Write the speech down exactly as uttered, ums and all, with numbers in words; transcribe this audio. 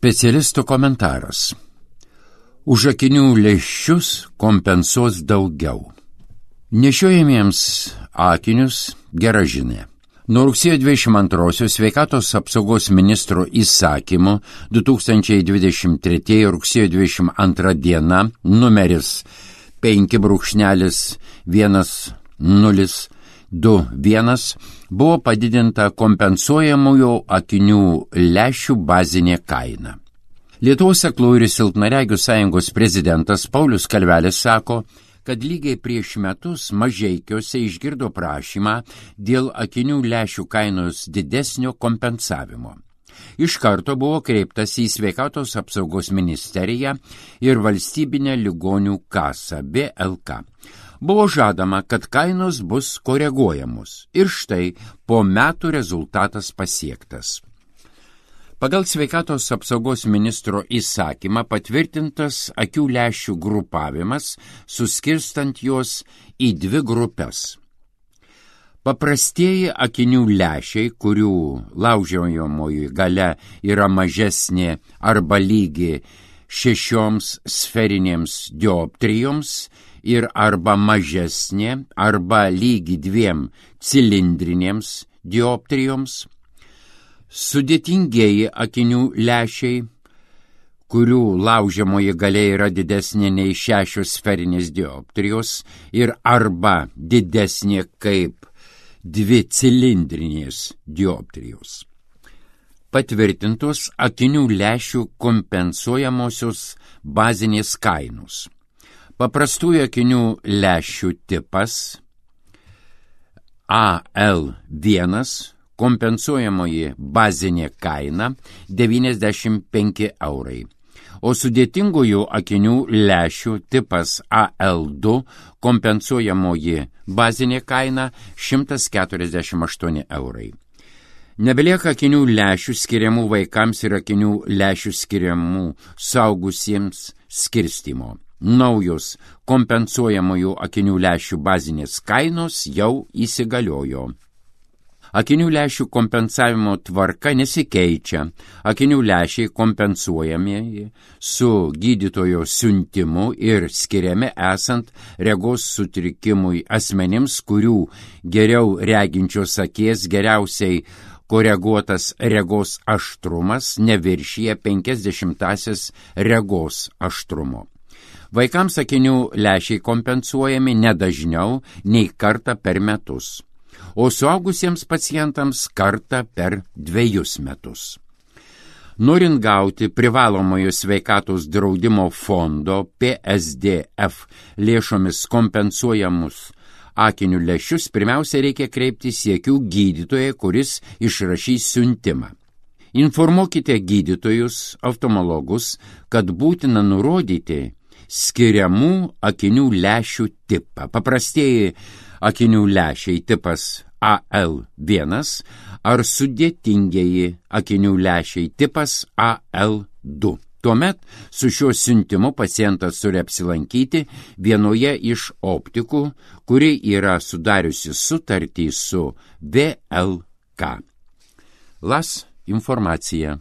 Specialistų komentaras. Už akinių lęšius kompensuos daugiau. Nešiojamiems akinius gera žinia. Nuo rugsėjo dvidešimt antrosios sveikatos apsaugos ministro įsakymu du tūkstančiai dvidešimt trečiųjų rugsėjo dvidešimt antra diena numeris penki brūkšnelis vienas nulis du vienas buvo padidinta kompensuojamųjų akinių lęšių bazinė kaina. Lietuvos aklųjų ir silpnaregių sąjungos prezidentas Paulius Kalvelis sako, kad lygiai prieš metus Mažeikiuose išgirdo prašymą dėl akinių lęšių kainos didesnio kompensavimo. Iš karto buvo kreiptas į sveikatos apsaugos ministeriją ir valstybinę ligonių kasą B L K. Buvo žadama, kad kainos bus koreguojamos ir štai po metų rezultatas pasiektas. Pagal sveikatos apsaugos ministro įsakymą patvirtintas akių lęšių grupavimas, suskirstant juos į dvi grupes. Paprastieji akinių lęšiai, kurių laužiamoji galia yra mažesnė arba lygi šešioms sferinėms dioptrijoms ir arba mažesnė arba lygi dviem cilindrinėms dioptrijoms. Sudėtingieji akinių lęšiai, kurių laužiamoji galia yra didesnė nei šešios sferinės dioptrijos ir arba didesnė kaip dvi cilindrinės dioptrijos. Patvirtintos akinių lęšių kompensuojamosios bazinės kainos. Paprastųjų akinių lęšių tipas A L vienas kompensuojamoji bazinė kaina devyniasdešimt penki eurai, o sudėtingųjų akinių lęšių tipas A L du kompensuojamoji bazinė kaina šimtas keturiasdešimt aštuoni eurai. Nebelieka akinių lęšių skiriamų vaikams ir akinių lęšių skiriamų suaugusiems skirstymo. Naujos kompensuojamųjų akinių lęšių bazinės kainos jau įsigaliojo. Akinių lęšių kompensavimo tvarka nesikeičia. Akinių lęšiai kompensuojami su gydytojo siuntimu ir skiriami esant regos sutrikimui asmenims, kurių geriau reginčios akies geriausiai koreguotas regos aštrumas neviršija penkiasdešimtąsias regos aštrumo. Vaikams akinių lęšiai kompensuojami nedažniau nei kartą per metus, o suaugusiems pacientams kartą per dviejus metus. Norint gauti privalomojo sveikatos draudimo fondo P S D F lėšomis kompensuojamus akinių lęšius, pirmiausia reikia kreiptis į akių gydytoją, kuris išrašys siuntimą. Informuokite gydytojus, oftalmologus, kad būtina nurodyti skiriamų akinių lęšių tipą. Paprastieji akinių lęšiai tipas A L vienas ar sudėtingieji akinių lęšiai tipas A L du. Tuomet su šiuo siuntimu pacientas turi apsilankyti vienoje iš optikų, kuri yra sudariusi sutartį su V L K. Las informacija.